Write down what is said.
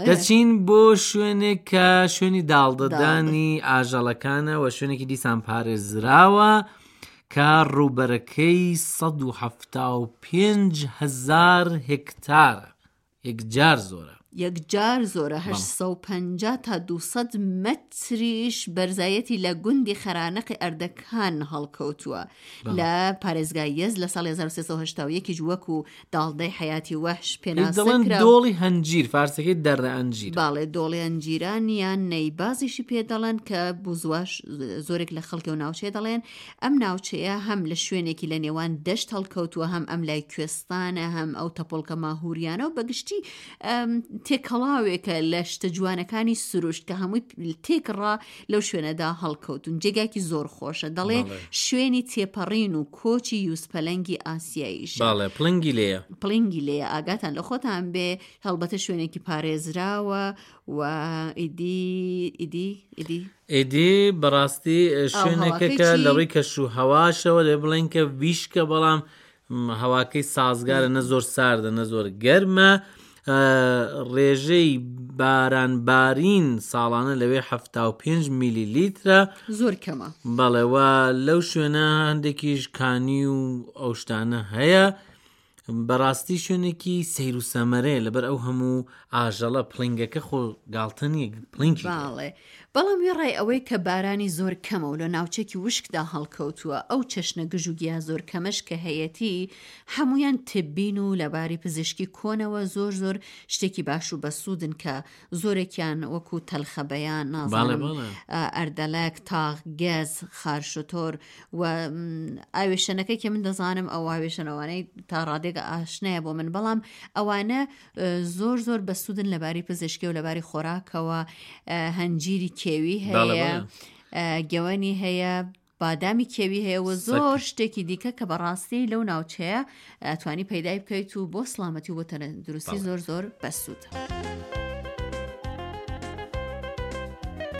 دەچین بۆ شوێنێک کە شوێنی داڵدەدانی ئاژەڵەکانە و شوێنێکی دیسان پارێزراوە کە ڕووبەرەکەی 175 هزار هێکتارە یەکجار زۆرە. یەکجار زۆرە 850 تا 200 مەتریش بەرزایەتی لە گوندی خەرانەقی ئەردەکان هەڵکەوتووە لە پارێزگای یەزد لە ساڵی 1381 یش وەکو داڵدەی حەیاتی وەحش پێناسە دەڵێن کرا. دۆڵی هەنجیر فارسەکەی دەرە ئەنجیرە. بەڵێ دۆڵی ئەنجیران یان نەیبازیشی پێ دەڵێن کە بوزواش زۆرێک لە خەڵکی ئەو ناوچەیە دەڵێن ئەم ناوچەیە هەم لە شوێنێکی لە نێوان دەشت هەڵکەوتووە هەم ئەم لای کوێستانە هەم ئەو تەپۆڵکە ماهوریانە و بەگشتی تێکەڵاوێکە لە شتە جوانەکانی سروشت کە هەمووی تێکڕا لەو شوێنەدا هەڵکەوتون جێگاکی زۆر خۆشە دەڵێ شوێنی تێپەڕین و کۆچی یوزپەلەنگی ئاسیاییشە. بەڵێ پڵنگی لێیە. پڵنگی لێیە ئاگاتان لە خۆتان بێ هەڵبەتە شوێنێکی پارێزراوە و ئیدی ئیدی ئیدی. ئیدی بەڕاستی شوێنێکە کە لە ڕووی کەش و هەواشەوە دەبێ بڵێین کە ویشکە بەڵام هەواکەی سازگارە نە زۆر ساردە نە زۆر گەرمە ڕێژەی باران بارین ساڵانە لەوێ 75 میلی لیترە زۆر کەمە بەڵێ و لەو شوێنە هەندێکیش کانی و ئەو شتانە هەیە بەڕاستی شوێنێکی سەیر و سەمەرەیە لەبەر ئەو هەموو ئاژەڵە پڵنگەکە خۆ گاڵتە نییە پڵنگی باڵێ بەڵام وێڕای ئەوەی کە بارانی زۆر کەمە و لە ناوچەکی وشکدا هەڵکەوتووە، ئەو چەشنە گژوگیا زۆر کەمەش کە هەیەتی، هەموویان تبین و لە باری پزیشکی کۆنەوە زۆر زۆر شتێکی باش و بەسوودن کە زۆرێکیان وەکوو تەلخەبەیان، نازانم ئەردەلەک، تاغ، گەز، خارشوتۆر و ئاوێشەنەکەی کە من دەزانم ئەو ئاوێشەنەوانەی تا ڕادێک ئاشنایە بۆ من بەڵام ئەوانە زۆر زۆر بەسوودن لەباری پزیشکی و لەباری خۆراکەوە هەنجیری کێوی هەیە گەوەنی هەیە بادامی کێوی هەیە و زۆر شتێکی دیکە کە بەڕاستی لەو ناوچەیە توانی پەیدای بکەیت و بۆ سلامەتی و بۆ تەندروستی زۆر زۆر بەسوودە.